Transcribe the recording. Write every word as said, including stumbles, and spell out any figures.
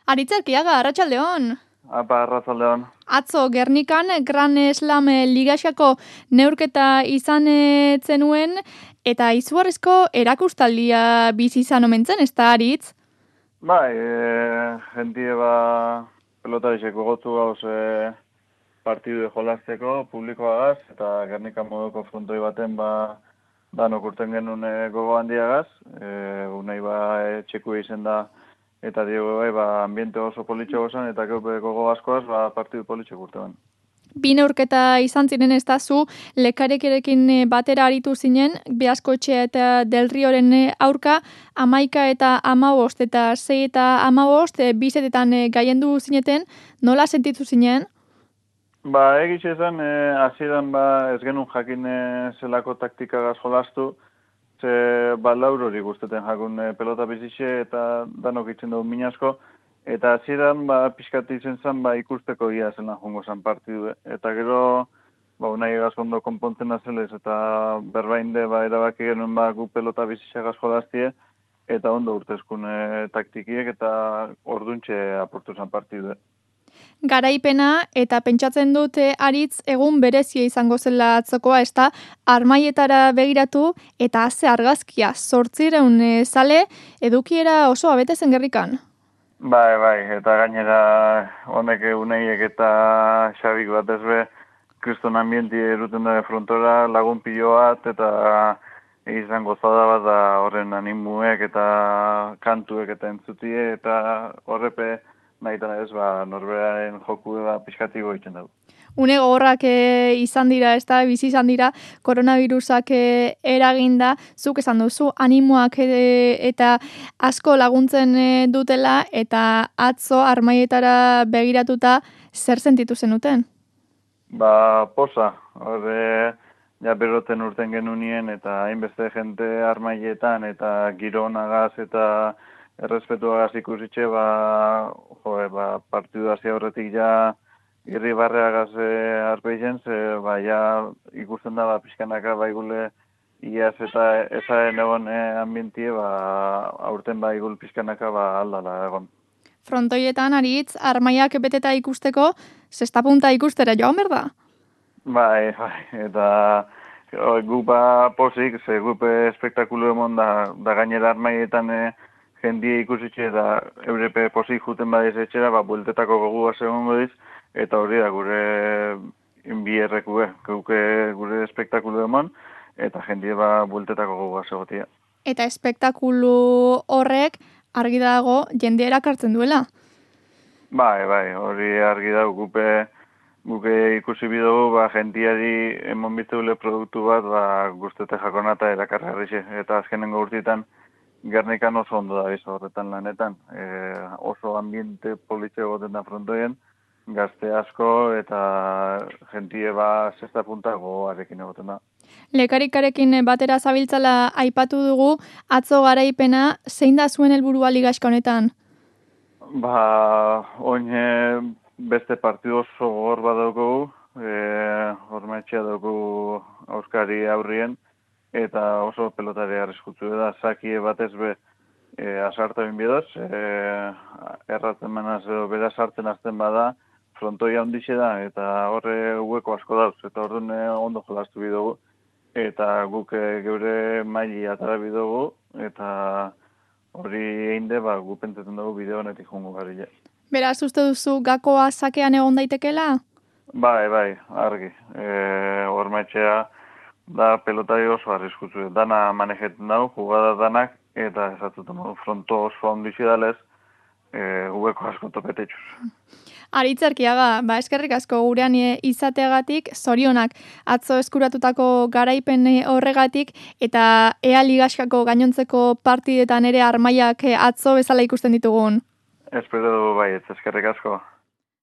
Aritz Arkiaga, arratsaldeon. Apa, arratsaldeon. Atzo, Gernikan, Gran Slam Ligaxako neurketa izan zenuen, eta izugarrizko erakustaldia bizi izan omentzen, ez da, Aritz? Bai, e, jentie ba pelotarixeko gotu gauz e, partidu jolazteko publikoagaz, eta Gernikan moduko frontoi baten ba danok urten genuen e, gogo handiagaz, e, unai ba e, txeku izen da, eta diego bai, ba, ambiente oso politxo gozan, eta geupe gogo askoaz, ba, partidu politxo urtean. Bi neurketa izan ziren ez da zu, lekarekerekin batera aritu zinen, Beaskoetxea eta Del Rioren aurka, amaika eta amabost, eta sei eta amabost, bizetetan gaiendu zineten, nola sentitu zinen? Ba, egitxe zen, e, hasieran ba, ez genuen jakin e, zelako taktikagaz jolastu, ze ba, laur hori guzteten jakun e, pelota bizitxe eta danok itzen dugu minasko, eta hasieran ba, pixkat izen zen ba, ikusteko ia zela jongo zen partidu. Eta gero, ba, unai egazkondo konpontzen azelez, eta berbainde ba, erabaki genuen ba, gu pelota bizitxagaz jolaztie, eta ondo urtezkun e, taktikiek, eta orduntxe aportu zen partidu. Garaipena, eta pentsatzen dute Aritz egun berezia izango zela atzokoa, ez da, armaietara begiratu, eta haze argazkia, zortzireun e, zale, edukiera oso abetezen Gernikan. Bai, bai, eta gainera honek uneiek eta xabik bat ezbe, kriston ambienti eruten da frontora, lagun pilo bat, eta izan gozada bat da horren animuek eta kantuek eta entzutie, eta horrepe nahi eta ez, ba, norberaren joku da pixkatiko egiten dugu. Une gogorrak e, izan dira, ez da, bizi izan dira, koronavirusak e, eraginda, zuk esan duzu, animoak e, eta asko laguntzen e, dutela, eta atzo armaietara begiratuta zer sentitu zenuten? Ba, posa, horre, ja beroten urten genunien, eta hainbeste jente armaietan, eta gironagaz, eta errespetuagaz ikusitxe, ba, jo, ba, partidu hasi horretik ja, irri barreagaz e, arpeitzen, ze, ba, ja, ikusten da, ba, pixkanaka, ba, igule, iaz eta ezaren egon e, ambientie, ba, aurten, ba, igul pixkanaka, ba, aldala egon. Frontoietan, Aritz, armaiak beteta ikusteko, zesta punta ikustera joan berda? Bai, bai, eta o, gu ba posik, ze gupe espektakulu emon da, da gainera armaietan e, jendie ikusitxe, eta eurepe posik juten badiz etxera, ba, bueltetako gogu egon godiz, eta hori da gure bierreku, eh, guke gure espektakulu emon, eta jendie ba bueltetako gogu egotia. Eta espektakulu horrek, argi dago, jende erakartzen duela? Bai, bai, hori argi dago, gupe, guke ikusi bidugu, ba, jentiari emon bitzeule produktu bat, ba, guztete jakonata erakargarrixe, eta azkenengo urtitan, Gernikan oso ondo da bizo horretan lanetan, e, oso ambiente politxe egoten da frontoien, gazte asko eta jentie ba zesta puntago arekin egoten da. Lekarikarekin batera zabiltzala aipatu dugu, atzo garaipena, zein da zuen helburua ligaxka honetan? Ba, oin beste partidu oso gogor bat daukagu, e, hormetxea daukagu auskari aurrien, eta oso pelotari arriskutsu da, zakie batez be e, asarta binbiedoz, e, erratzen manaz edo bera sartzen azten bada, frontoia ondixe da, eta horre hueko asko dauz, eta orduan ondo jolastu bidugu, eta guk geure maili atara bidugu, eta hori egin de, ba, gu pentsatzen dugu bideo honetik jongo gari. Beraz, uste duzu gakoa sakean egon daitekela? Bai, bai, argi. E, Hormetxea da pelotari oso arriskutzu. Dana manejeten dago, jugada danak, eta esatzen dugu fronto oso ondixe dalez, e, hueko asko topetetxuz. Aritz Arkiaga, ba, eskerrik asko gurean izateagatik, zorionak atzo eskuratutako garaipen horregatik, eta ea ligaxkako gainontzeko partidetan ere armaiak atzo bezala ikusten ditugun. Espero dugu bai, eskerrik asko.